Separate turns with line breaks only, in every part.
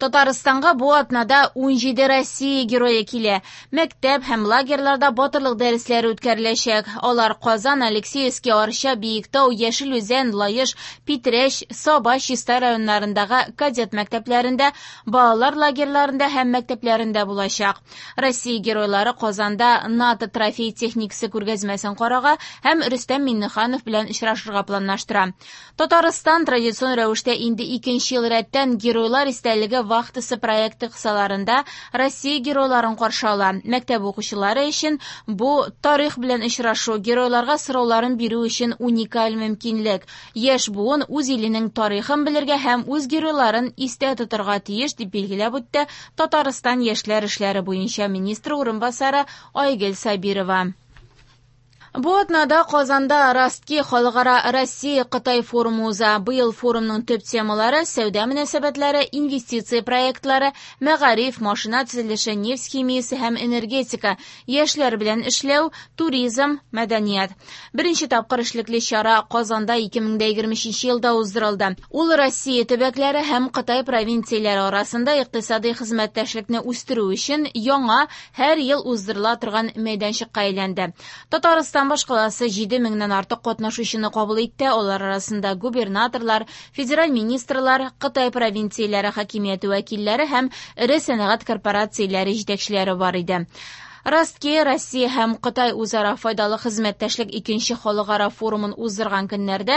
Татарстанга бу атнада 17 Россия герое килә. Мәктәп һәм лагерьларда батырлык дәресләре үткәреләчәк. Алар Казан, Алексеевский, Арча, Биектау, Яшел Үзән, Лаеш, Питрәч, Саба, Чистай районнарындагы кадет мәктәпләрендә, балалар лагерьларында һәм мәктәпләрендә булачак. Россия геройлары Казанда НАТО трофей техникасы күргәзмәсен карарга һәм Рөстәм Миңнеханов белән очрашырга планлаштыра. Татарстан традицион рәвештә инде икенче ел рәттән Геройлар истәлеге вахтасы проекты кысаларында Россия геройларын каршы ала. Мәктәп укучылары өчен бу тарих белән очрашу, геройларга сорауларын бирү өчен уникаль мөмкинлек. Яшь буын үз иленең тарихын белергә һәм үз геройларын истә тотарга тиеш, дип билгеләп үтте Татарстан яшьләр эшләре буенча министр урынбасары Айгөл Сабирова. Бу атнада Казанда Ростки халыкара Россия-Кытай форумы уза. Быел форумның төп темалары сәүдә мөнәсәбәтләре, инвестиция проектлары, мәгариф, машина төзелеше, нефть химиясе һәм энергетика, яшьләр белән эшләү, туризм, мәдәният. Беренче тапкыр эшлекле чара Казанда 2023 елда уздырылды. Ул Россия төбәкләре һәм Кытай провинцияләре арасында икътисади хезмәттәшлекне үстерү өчен яңа һәр ел уздырыла торган мәйданчыкка әйләнде. Татарстан башкаласы 7000-нән артык катнашучыны кабул итте. Алар арасында губернаторлар, федераль министрлар, Кытай провинцияләре хакимияте вәкилләре һәм эре сәнәгать корпорацияләре җитәкчеләре бар иде. Ростки, Россия һәм Кытай үзара файдалы хезмәттәшлек икенче халыкара форумын уздырган көннәрдә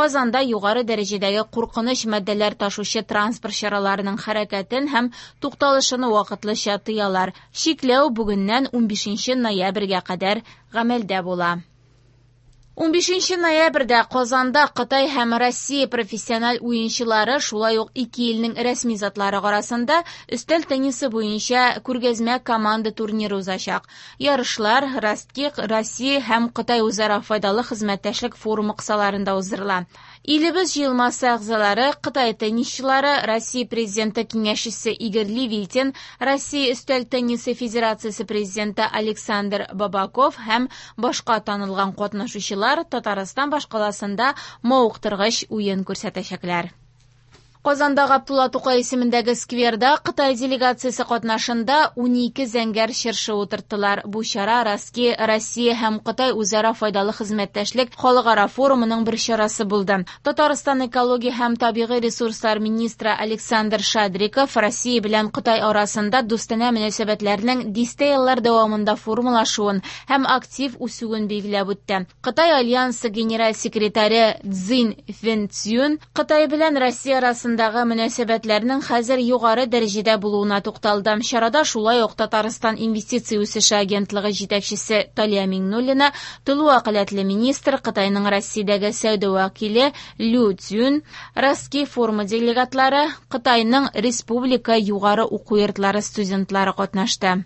Казанда югары дәрәҗәдәге куркыныч матдәләр ташучы транспорт чараларының хәрәкәтен һәм тукталышын вакытлыча тыялар. Чикләү бүгеннән 15 ноябрьгә кадәр гамәлдә була. 15 ноябрьдә Казанда Кытай һәм Россия профессиональ уенчылары, шулай ук ике илнең рәсми затлары арасында өстәл теннисы буенча күргәзмә команда турниры узачак. Ярышлар Ростки, Россия һәм Кытай үзара файдалы хезмәттәшлек форумы кысаларында уздырыла. Илебез җыелмасы әгъзалары, Кытай теннисчылары, Россия президенты киңәшчесе Игорь Левитин, Россия өстәл теннисы федерациясе президенты Александр Бабаков һәм башка танылган катнашучылар Татарстан башкаласында мавыктыргыч уен күрсәтәчәкләр. Казанда Габдулла Тукай исемендәге скверда Кытай делегациясе катнашында 12 зәңгәр чыршы утырттылар. Бу чара Ростки, Россия һәм Кытай үзара файдалы хезмәттәшлек халыкара форумының бер чарасы булды. Татарстан экология һәм табигый ресурслар министры Александр Шадриков Россия белән Кытай арасында дустанә мөнәсәбәтләрнең дистә еллар дәвамында формалашуын һәм актив үсүен билгеләп үтте. Кытай альянсы генераль секретаре Цзин Вэньцзюн Кытай белән Россия арасындагы мөнәсәбәтләрнең хәзер югары дәрәҗәдә булуына тукталды. Чарада шулай ук Татарстан инвестиция үсеше агентлыгы җитәкчесе Талия Миңнуллина, тулы вәкаләтле министр, Кытайның Россиядәге сәүдә вәкиле Лю Цзюн, Ростки форумы делегатлары, Кытайның республика югары уку йортлары студентлары катнашты.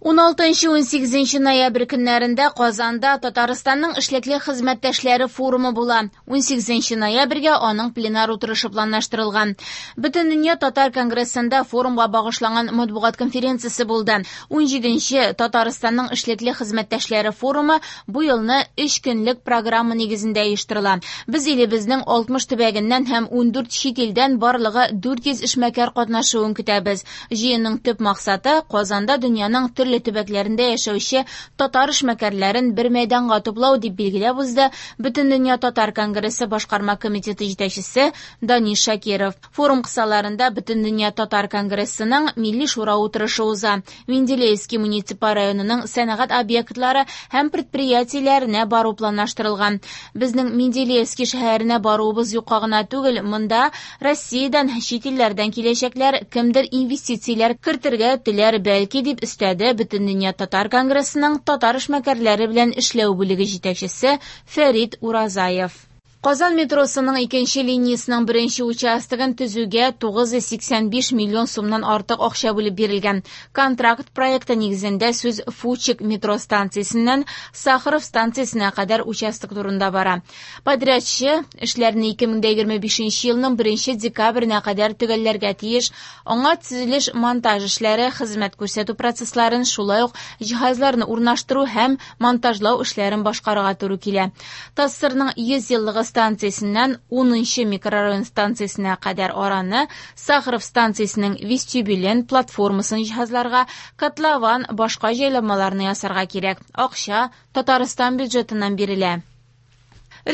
16-18 ноябрь көннәрендә Казанда Татарстанның эшлекле хезмәттәшләре форумы була. 18 ноябрьгә аның пленар утырышы планлаштырылган. Бөтендөнья татар конгрессында форумга багышланган матбугат конференциясе булды. 17 Татарстанның эшлекле хезмәттәшләре форумы бу елны 3 көнлек программа нигезендә оештырыла. Без илебезнең 60 төбәгеннән һәм 14 чит илдән барлыгы 400 эшмәкәр катнашуын көтәбез. Җыенның төп максаты Казанда дөньяның төрле төбәкләрендә яшәүче татар эшмәкәрләрен бер мәйданга туплау, дип билгеләп узды Бөтендөнья татар конгрессы башкарма комитеты җитәкчесе Данис Шакиров. Форум кысаларында Бөтендөнья татар конгрессының Милли шура утырышы уза. Менделеевский муниципаль районының сәнәгать объектлары һәм предприятиеләренә бару планлаштырылган. Безнең Менделеевский шәһәренә баруыбыз юкка гына түгел, монда Россиядән, чит илләрдән киләчәкләр, кемдер инвестицияләр кертергә теләр бәлки, дип өстәде Бөтендөнья татар конгрессының татар эшмәкәрләре белән эшләү бүлеге җитәкчесе Фәрит Уразаев. Казан метросының икенче линиясының беренче участогын төзүгә 985 миллион сумнан артык акча бүлеп бирелгән. Контракт проекты нигезендә сүз Фучик метро станциясеннән Сахаров станциясенә кадәр участок турында бара. Подрядчы эшләрне 2025 елның 1 декабренә кадәр төгәлләргә тиеш. Аңа төзелеш монтаж эшләре, хезмәт күрсәтү процессларын, шулай ук җиһазларны урнаштыру һәм монтажлау эшләрен башкарырга туры килә. ТАССРның 100 еллыгы станциясеннән 10 микрорайон станциясенә кадәр араны, Сахаров станциясенең вестибюлен, платформасын җиһазларга, котлован, башка җайланмаларны ясарга кирәк. Акча Татарстан бюджетыннан бирелә.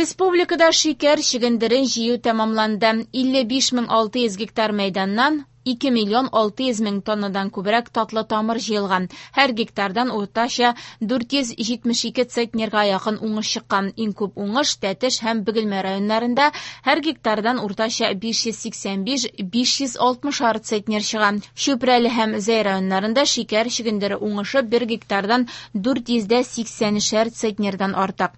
Республикада шикәр чөгендерен җыю тәмамланды. 55 600 гектар мәйданнан 2 миллион 600 мең тоннадан күбрәк татлы тамыр җыелган. Һәр гектардан уртача 472 центнерга якын уңыш чыккан. Иң күп уңыш Тәтеш һәм Бөгелмә районнарында, һәр гектардан уртача 585-560 центнер чыга. Чүпрәле һәм Зәй районнарында шикәр чөгендере уңышы бер гектардан 480 центнердан артык.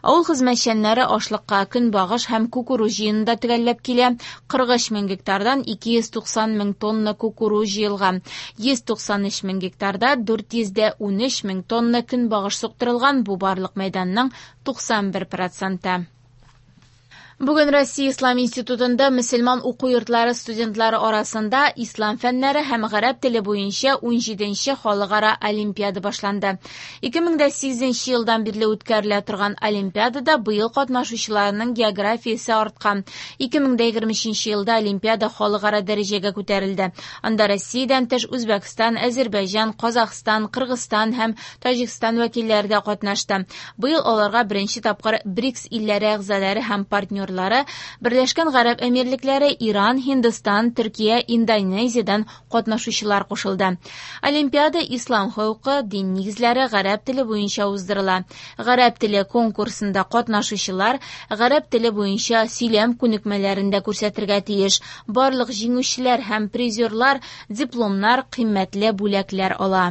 Авыл хезмәтчәннәре ашлыкка көнбагыш һәм кукуруз җыюны да төгәлләп килә. 43 мең гектардан 290 мең тонна кукуруз җыелган. 193 мең гектарда 413 мең тонна көнбагыш суктырылган, бу барлык мәйданның 91 проценты. Бүген Россия Ислам институтында мөселман уку йортлары студентлары арасында ислам фәннәре һәм гарәп теле буенча 17нче халыкара олимпиада башланды. 2008 елдан бирле үткәрелә торган олимпиадада быел катнашучыларның географиясе арткан. 2023 елда олимпиада халыкара дәрәҗәгә күтәрелде. Анда Россиядән тыш Үзбәкстан, Әзербайҗан, Казахстан, Кыргызстан һәм Таҗикстан вәкилләре дә катнашты. Быел аларга беренче тапкыр БРИКС илләре әгъзалары һәм партнерлары Берләшкән Гарәп Әмирлекләре, Иран, Һиндстан, Төркия, Индонезиядән катнашучылар кушылды. Олимпиада ислам хокукы, дин нигезләре, гарәп теле буенча уздырыла. Гарәп теле конкурсында катнашучылар гарәп теле буенча сөйләм күнекмәләрен дә күрсәтергә тиеш. Барлык җиңүчеләр һәм призерлар дипломнар, кыйммәтле бүләкләр ала.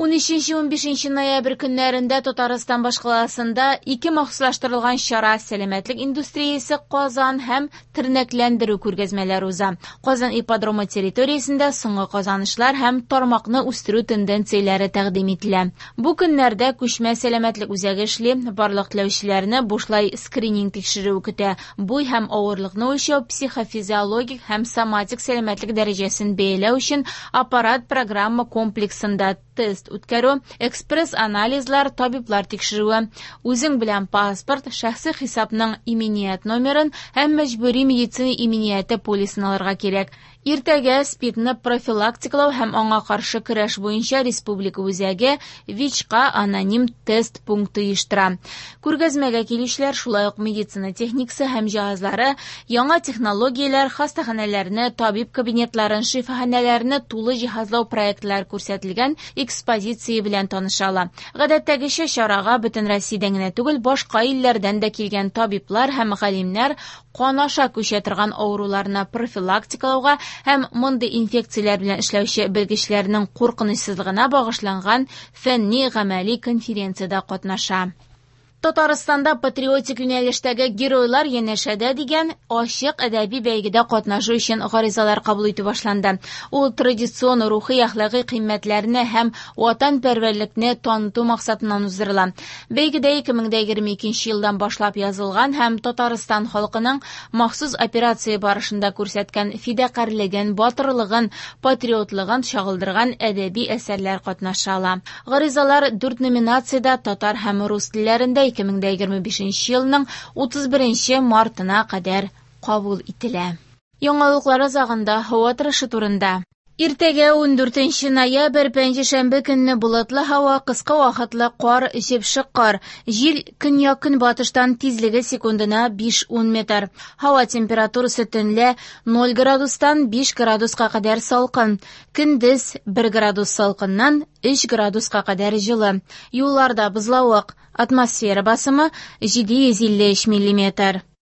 13-15 ноябрь көннәрендә Татарстан башкаласында ике махсуслаштырылган чара сәламәтлек индустриясе Казан һәм тернәкләндерү күргәзмәләре уза. Казан ипподромы территориясендә соңгы казанышлар һәм тармакны үстерү тенденцияләре тәкъдим ителә. Бу көннәрдә күчмә сәламәтлек үзәге эшли, барлык теләүчеләрне бушлай скрининг тикшерүе көтә. Буй һәм авырлыкны үлчәү, психофизиологик һәм соматик сәламәтлек дәрәҗәсен бәяләү өчен аппарат программа комплексында тест үткәрү, экспресс-анализлар, табиблар тикшерүе. Үзең белән паспорт, шәхси хисапның иминият номерын һәм мәҗбүри медицина иминияте полисын алырга кирәк. Иртәгә СПИДны профилактикалау һәм аңа каршы көрәш буенча республика үзәге ВИЧка аноним тест пункты оештыра. Күргәзмәгә килүчеләр шулай ук медицина техникасы һәм җиһазлары, яңа технологияләр, хастаханәләрне, табиб кабинетларын, шифаханәләрне тулы җиһазлау проектлары күрсәтелгән экспозиция белән таныша ала. Гадәттәгечә чарага бөтен Россиядән генә түгел, башка илләрдән дә килгән табиблар һәм галимнәр кан аша күчә торган авыруларны профилактикалауга һәм мондый инфекцияләр белән эшләүче белгечләрнең куркынычсызлыгына багышланган фәнни-гамәли конференциядә катнаша. Татарстанда патриотик юнәлештәге геройлар янәшәдә дигән ачык әдәби бәйгедә катнашу өчен гаризалар кабул итү башланды. Ул традицион рухи әхлакый кыйммәтләрне һәм ватанпәрвәрлекне таныту максатыннан уздырыла. Бәйгедә 2022 елдан башлап язылган һәм Татарстан халкының махсус операция барышында күрсәткән фидакарьлеген, батырлыгын, патриотлыгын чагылдырган әдәби әсәрләр катнаша ала. Гаризалар 4 номинациядә татар һәм рус телләрендә 2025 елның 31 мартына кадәр кабул ителә. Яңалыклар азагында һава торышы турында. Иртәгә 14 ноябрь пәнҗешәмбе көнне болытлы һава, кыска вакытлы кар, җепшек кар. Җил көньяк-көнбатыштан, тизлеге секундына 5-10 метр. Һава температурасы төнлә 0 градустан 5 градуска кадәр салкын. Көндез 1 градус салкыннан 3 градуска кадәр җылы. Юлларда бозлавык. Атмосфера басымы 753 миллиметр.